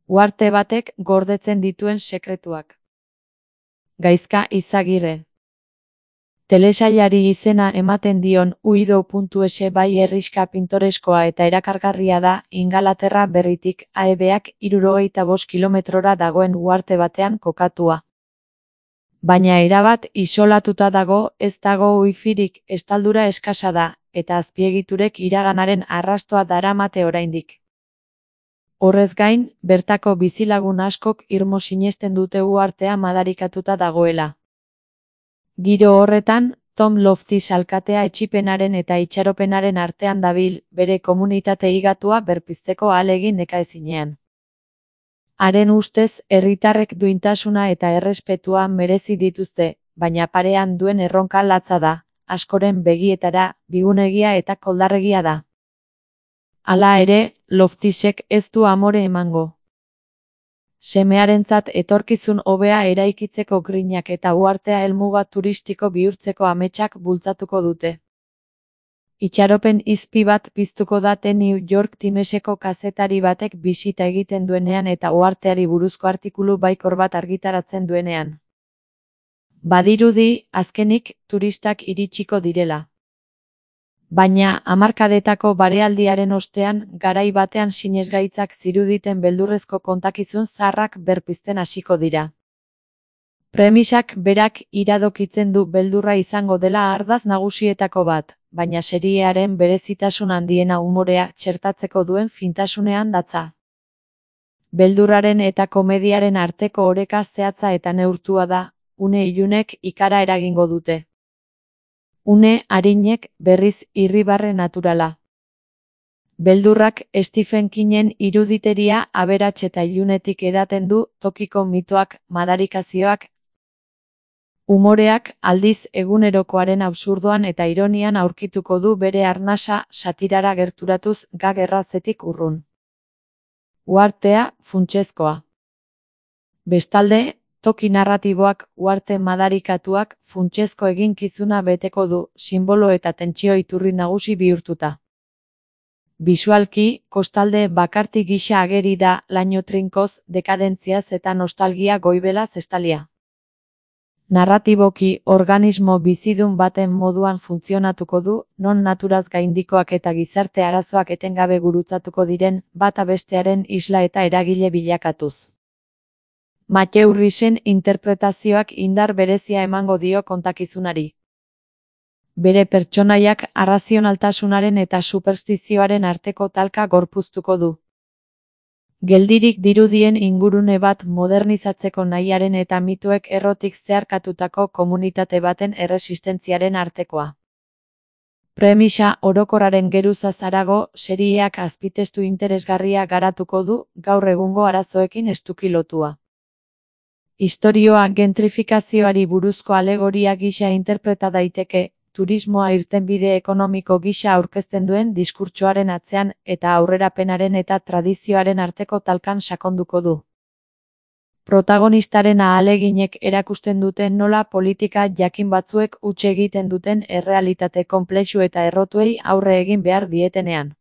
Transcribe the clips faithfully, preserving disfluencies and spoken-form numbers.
Uharte batek gordetzen dituen sekretuak. Gaizka Izagirre. Telesailari izena ematen dion uido.es bai herrixka pintoreskoa eta erakargarria da Ingalaterra berritik aebeak hirurogeita bost kilometrora dagoen uharte batean kokatua. Baina erabat isolatuta dago, ez dago wifirik, estaldura eskasa da, eta azpiegiturek iraganaren arrastoa daramate oraindik. Horrez gain, bertako bizilagun askok irmo sinesten dute uhartea madarikatuta dagoela. Giro horretan, Tom Loftis alkatea etsipenaren eta itxaropenaren artean dabil, bere komunitate higatua berpizteko ahalegin nekaezinean. Haren ustez, herritarrek duintasuna eta errespetua merezi dituzte, baina parean duen erronka latza da, askoren begietara, bigunegia eta koldarregia da. Hala ere, Loftisek ez du amore emango. Semearentzat etorkizun hobea eraikitzeko grinak eta uhartea helmuga turistiko bihurtzeko ametsak bultzatuko dute. Itxaropen izpi bat piztuko da The New York Timeseko kazetari batek bisita egiten duenean eta uharteari buruzko artikulu baikor bat argitaratzen duenean. Badirudi, azkenik, turistak iritsiko direla. Baina, hamarkadetako barealdiaren ostean, garai batean sinesgaitzak ziruditen beldurrezko kontakizun zaharrak berpizten hasiko dira. Premisak berak iradokitzen du beldurra izango dela ardatz nagusietako bat, baina seriearen berezitasun handiena umorea txertatzeko duen fintasunean datza. Beldurraren eta komediaren arteko oreka zehatza eta neurtua da, une ilunek ikara eragingo dute. Une arinek berriz irribarre naturala. Beldurrak Stephen Kingen iruditeria aberats eta ilunetik edaten du tokiko mitoak, madarikazioak. Umoreak aldiz egunerokoaren absurdoan eta ironian aurkituko du bere arnasa satirara gerturatuz gag errazetik urrun. Uhartea, funtsezkoa. Bestalde, toki narratiboak, uharte madarikatuak, funtsezko eginkizuna beteko du, sinbolo eta tentsio iturri nagusi bihurtuta. Bisualki, kostalde bakarti gisa ageri da, laino trinkoz, dekadentziaz eta nostalgia goibelaz estalia. Narratiboki, organismo bizidun baten moduan funtzionatuko du, non naturaz gaindikoak eta gizarte arazoak etengabe gurutzatuko diren, bata bestearen isla eta eragile bilakatuz. Matthew Rhysen interpretazioak indar berezia emango dio kontakizunari. Bere pertsonaiak arrazionaltasunaren eta superstizioaren arteko talka gorpuztuko du. Geldirik dirudien ingurune bat modernizatzeko nahiaren eta mituek errotik zeharkatutako komunitate baten erresistentziaren artekoa. Premisa orokorraren geruzaz harago, serieak azpitestu interesgarria garatuko du, gaur egungo arazoekin estuki lotua. Istorioa gentrifikazioari buruzko alegoria gisa interpreta daiteke, turismoa irtenbide ekonomiko gisa aurkezten duen diskurtsoaren atzean eta aurrerapenaren eta tradizioaren arteko talkan sakonduko du. Protagonistaren ahaleginek erakusten duten nola politika jakin batzuek huts egiten duten errealitate konplexu eta errotuei aurre egin behar dietenean.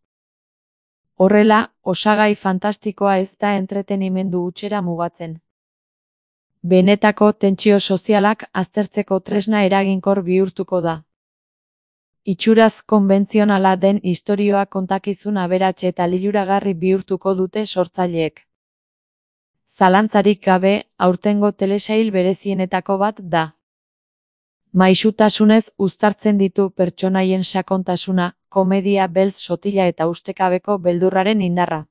Horrela, osagai fantastikoa ez da entretenimendu hutsera mugatzen. Benetako tentsio sozialak aztertzeko tresna eraginkor bihurtuko da. Itxuraz konbentzionala den istorioa kontakizun aberats eta liluragarri bihurtuko dute sortzaileek. Zalantzarik gabe, aurtengo telesail berezienetako bat da. Maisutasunez uztartzen ditu pertsonaien sakontasuna, komedia beltz sotila eta ustekabeko beldurraren indarra.